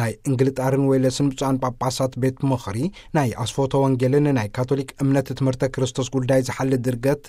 ናይ እንግልጣርን ዌለስን ብፁዓን ጳጳሳት ቤት ምኽሪ ናይ ኣስፎተ ወንጌልን ናይ ካቶሊክ እምነት ትምህርተ ክርስቶስ ጉዳይ ዝሓሊ ድርገት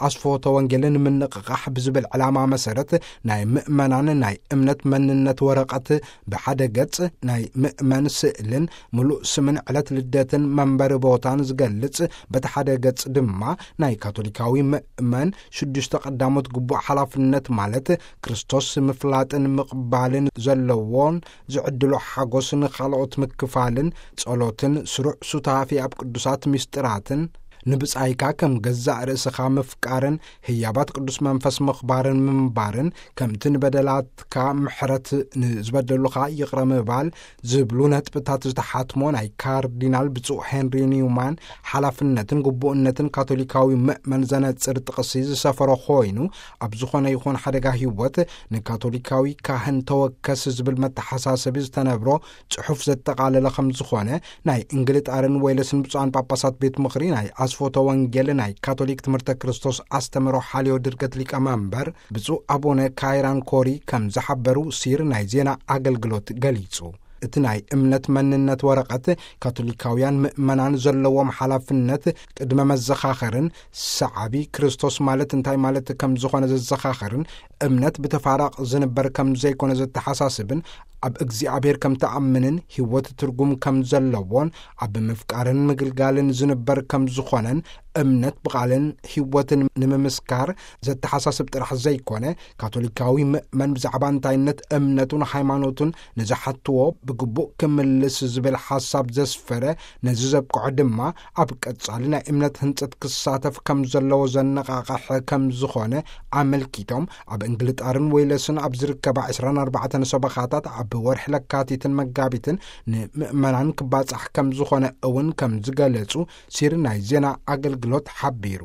ኣስፎተ ወንጌልን ምንቕቓሕ ብዝብል ዕላማ መሰረት ናይ ምእመናን ናይ እምነት መንነት ወረቐት ብሓደ ገጽ ናይ ምእመን ስእልን ምሉእ ስምን ዕለት ልደትን መንበሪ ቦታን ዝገልጽ፣ በቲ ሓደ ገጽ ድማ ናይ ካቶሊካዊ ምእመን ሽዱሽተ ቀዳሞት ግቡእ ሓላፍነት ማለት ክርስቶስ ምፍላጥን ምቕባልን ዘለዎን ዝዕድሎ ሓጎስ ንኻልኦት ምክፋልን ጸሎትን ስሩዕ ሱታፌ ኣብ ቅዱሳት ምስጢራትን ንብጻይካ ከም ገዛእ ርእስኻ ምፍቃርን ህያባት ቅዱስ መንፈስ ምኽባርን ምንባርን ከምቲ ንበደላትካ ምሕረት ንዝበደሉኻ ይቕረ ምባል ዝብሉ ነጥብታት ዝተሓትሞ ናይ ካርዲናል ብፁዕ ሄንሪ ኒውማን ሓላፍነትን ግቡእነትን ካቶሊካዊ ምእመን ዘነጽር ጥቕሲ ዝሰፈሮ ኮይኑ፣ ኣብ ዝኾነ ይኹን ሓደጋ ህይወት ንካቶሊካዊ ካህን ተወከስ ዝብል መተሓሳሰቢ ዝተነብሮ ጽሑፍ ዘጠቓለለ ከም ዝኾነ ናይ እንግልጣርን ዌለስን ብፁዓን ጳጳሳት ቤት ምኽሪ ናይ ኣስፎተ ወንጌል ናይ ካቶሊክ ትምህርተ ክርስቶስ ኣስተምህሮ ሓልዮ ድርገት ሊቀመንበር ብፁዕ ኣቡነ ካይራን ኮሪ ከም ዝሓበሩ ሲር ናይ ዜና ኣገልግሎት ገሊጹ። እቲ ናይ እምነት መንነት ወረቐት ካቶሊካውያን ምእመናን ዘለዎም ሓላፍነት ቅድመ መዘኻኸርን ሰዓቢ ክርስቶስ ማለት እንታይ ማለት ከም ዝኾነ ዘዘኻኸርን እምነት ብተፋራቕ ዝንበር ከም ዘይኮነ ዘተሓሳስብን ኣብ እግዚኣብሔር ከም ትኣምንን ህይወት ትርጉም ከም ዘለዎን ኣብ ምፍቃርን ምግልጋልን ዝንበር ከም ዝኾነን እምነት ብቓልን ህይወትን ንምምስካር ዘተሓሳስብ ጥራሕ ዘይኮነ፣ ካቶሊካዊ ምእመን ብዛዕባ እንታይነት እምነቱን ሃይማኖቱን ንዝሓትዎ ብግቡእ ክምልስ ዝብል ሓሳብ ዘስፈረ፣ ነዚ ዘብቅዖ ድማ ኣብ ቀጻሊ ናይ እምነት ህንጸት ክሳተፍ ከም ዘለዎ ዘነቓቕሕ ከም ዝኾነ ኣመልኪቶም፣ ኣብ እንግልጣርን ዌለስን ኣብ ዝርከባ ዕስራን ኣርባዕተን ሰበኻታት ኣብ ወርሒ ለካቲትን መጋቢትን ንምእመናን ክባጻሕ ከም ዝኾነ እውን ከም ዝገለጹ ሲር ናይ ዜና ኣገልግሎት ሓቢሩ።